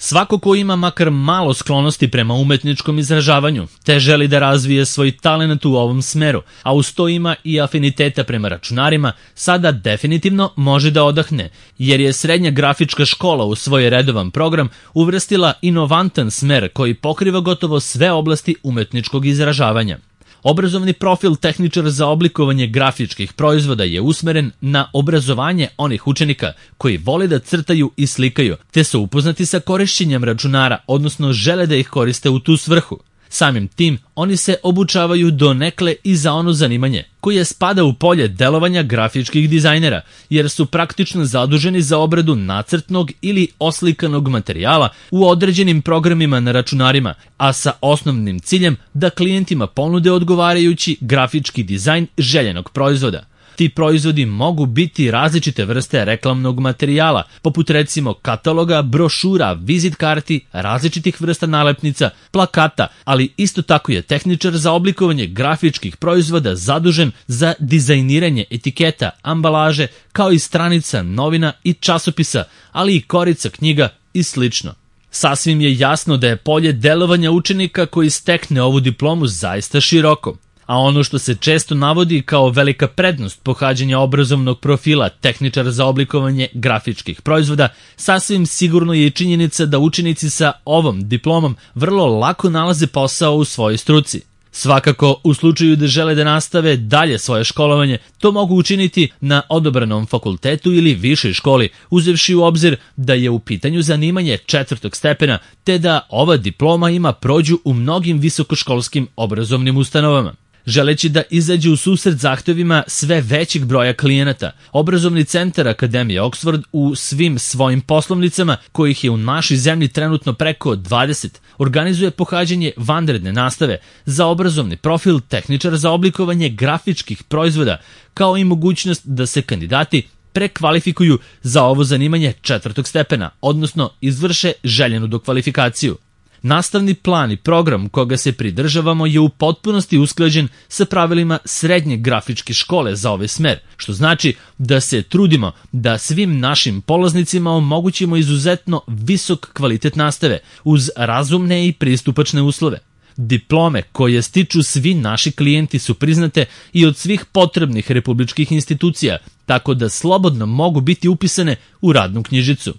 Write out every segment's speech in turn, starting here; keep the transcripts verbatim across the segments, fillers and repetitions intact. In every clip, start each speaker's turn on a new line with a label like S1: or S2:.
S1: Svako ko ima makar malo sklonosti prema umetničkom izražavanju, te želi da razvije svoj talent u ovom smeru, a uz to ima i afiniteta prema računarima, sada definitivno može da odahne, jer je srednja grafička škola u svoj redovan program uvrstila inovantan smer koji pokriva gotovo sve oblasti umetničkog izražavanja. Obrazovni profil tehničar za oblikovanje grafičkih proizvoda je usmeren na obrazovanje onih učenika koji vole da crtaju i slikaju, te su upoznati sa korišćenjem računara, odnosno žele da ih koriste u tu svrhu. Samim tim, oni se obučavaju donekle i za ono zanimanje, koje spada u polje delovanja grafičkih dizajnera, jer su praktično zaduženi za obradu nacrtnog ili oslikanog materijala u određenim programima na računarima, a sa osnovnim ciljem da klijentima ponude odgovarajući grafički dizajn željenog proizvoda. Ti proizvodi mogu biti različite vrste reklamnog materijala, poput recimo kataloga, brošura, vizit karti, različitih vrsta nalepnica, plakata, ali isto tako je tehničar za oblikovanje grafičkih proizvoda zadužen za dizajniranje etiketa, ambalaže, kao i stranica novina i časopisa, ali i korica knjiga i slično. Sasvim je jasno da je polje delovanja učenika koji stekne ovu diplomu zaista široko. A ono što se često navodi kao velika prednost pohađanja obrazovnog profila tehničar za oblikovanje grafičkih proizvoda, sasvim sigurno je i činjenica da učenici sa ovom diplomom vrlo lako nalaze posao u svojoj struci. Svakako, u slučaju da žele da nastave dalje svoje školovanje, to mogu učiniti na odobranom fakultetu ili višoj školi, uzevši u obzir da je u pitanju zanimanje četvrtog stepena, te da ova diploma ima prođu u mnogim visokoškolskim obrazovnim ustanovama. Želeći da izađe u susret zahtevima sve većeg broja klijenata, obrazovni centar Akademije Oxford u svim svojim poslovnicama, kojih je u našoj zemlji trenutno preko dvadeset, organizuje pohađanje vanredne nastave za obrazovni profil tehničar za oblikovanje grafičkih proizvoda, kao i mogućnost da se kandidati prekvalifikuju za ovo zanimanje četvrtog stepena, odnosno izvrše željenu dokvalifikaciju. Nastavni plan i program koga se pridržavamo je u potpunosti usklađen sa pravilima srednje grafičke škole za ovaj smer, što znači da se trudimo da svim našim polaznicima omogućimo izuzetno visok kvalitet nastave uz razumne i pristupačne uslove. Diplome koje stiču svi naši klijenti su priznate i od svih potrebnih republičkih institucija, tako da slobodno mogu biti upisane u radnu knjižicu.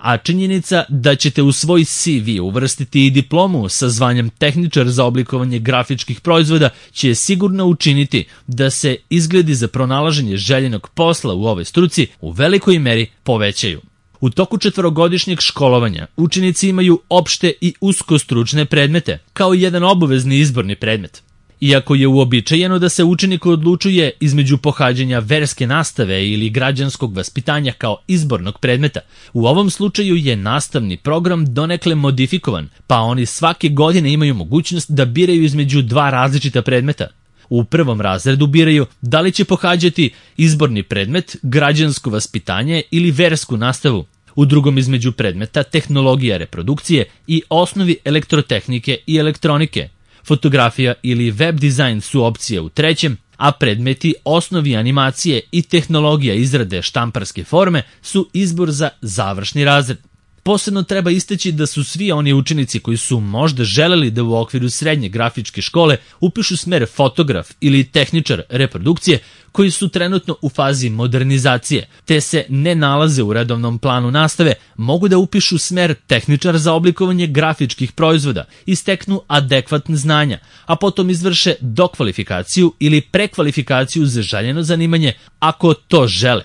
S1: A činjenica da ćete u svoj C V uvrstiti i diplomu sa zvanjem tehničar za oblikovanje grafičkih proizvoda će sigurno učiniti da se izgledi za pronalaženje željenog posla u ovoj struci u velikoj meri povećaju. U toku četvorogodišnjeg školovanja učenici imaju opšte i uskostručne predmete, kao i jedan obavezni izborni predmet. Iako je uobičajeno da se učenik odlučuje između pohađanja verske nastave ili građanskog vaspitanja kao izbornog predmeta, u ovom slučaju je nastavni program donekle modifikovan, pa oni svake godine imaju mogućnost da biraju između dva različita predmeta. U prvom razredu biraju da li će pohađati izborni predmet, građansko vaspitanje ili versku nastavu. U drugom između predmeta tehnologija reprodukcije i osnovi elektrotehnike i elektronike. Fotografija ili web dizajn su opcije u trećem, a predmeti osnovi animacije i tehnologija izrade štamparske forme su izbor za završni razred. Posebno treba istaći da su svi oni učenici koji su možda želeli da u okviru srednje grafičke škole upišu smer fotograf ili tehničar reprodukcije, koji su trenutno u fazi modernizacije, te se ne nalaze u redovnom planu nastave, mogu da upišu smer tehničar za oblikovanje grafičkih proizvoda i steknu adekvatne znanja, a potom izvrše dokvalifikaciju ili prekvalifikaciju za željeno zanimanje ako to žele.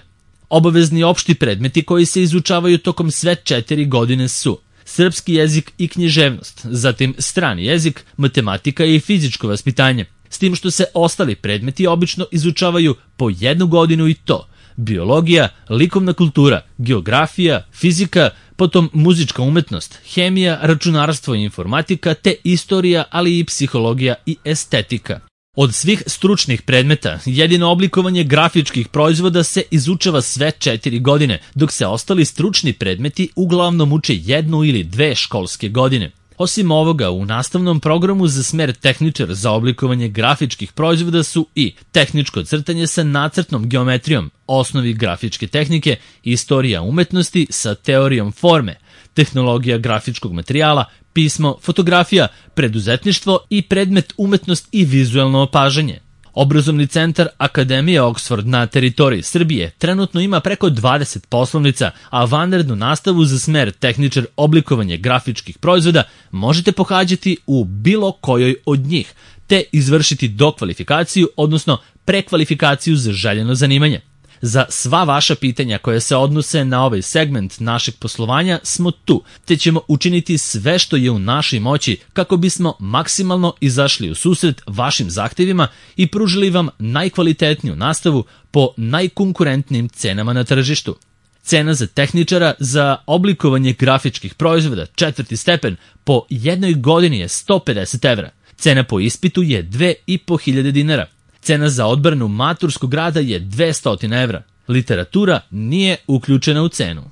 S1: Obavezni opšti predmeti koji se izučavaju tokom sve četiri godine su srpski jezik i književnost, zatim strani jezik, matematika i fizičko vaspitanje, s tim što se ostali predmeti obično izučavaju po jednu godinu i to biologija, likovna kultura, geografija, fizika, potom muzička umetnost, hemija, računarstvo i informatika, te istorija, ali i psihologija i estetika. Od svih stručnih predmeta, jedino oblikovanje grafičkih proizvoda se izučava sve četiri godine, dok se ostali stručni predmeti uglavnom uče jednu ili dve školske godine. Osim ovoga, u nastavnom programu za smer tehničar za oblikovanje grafičkih proizvoda su i tehničko crtanje sa nacrtnom geometrijom, osnovi grafičke tehnike, istorija umetnosti sa teorijom forme, tehnologija grafičkog materijala, pismo, fotografija, preduzetništvo i predmet umetnost i vizuelno opažanje. Obrazovni centar Akademije Oxford na teritoriji Srbije trenutno ima preko dvadeset poslovnica, a vanrednu nastavu za smer tehničar oblikovanje grafičkih proizvoda možete pohađati u bilo kojoj od njih, te izvršiti dokvalifikaciju, odnosno prekvalifikaciju za željeno zanimanje. Za sva vaša pitanja koje se odnose na ovaj segment našeg poslovanja smo tu, te ćemo učiniti sve što je u našoj moći kako bismo maksimalno izašli u susret vašim zahtevima i pružili vam najkvalitetniju nastavu po najkonkurentnijim cenama na tržištu. Cena za tehničara za oblikovanje grafičkih proizvoda četvrti stepen po jednoj godini je sto pedeset evra. Cena po ispitu je dve i po hiljade dinara. Cena za odbranu maturskog rada je dvesta evra. Literatura nije uključena u cenu.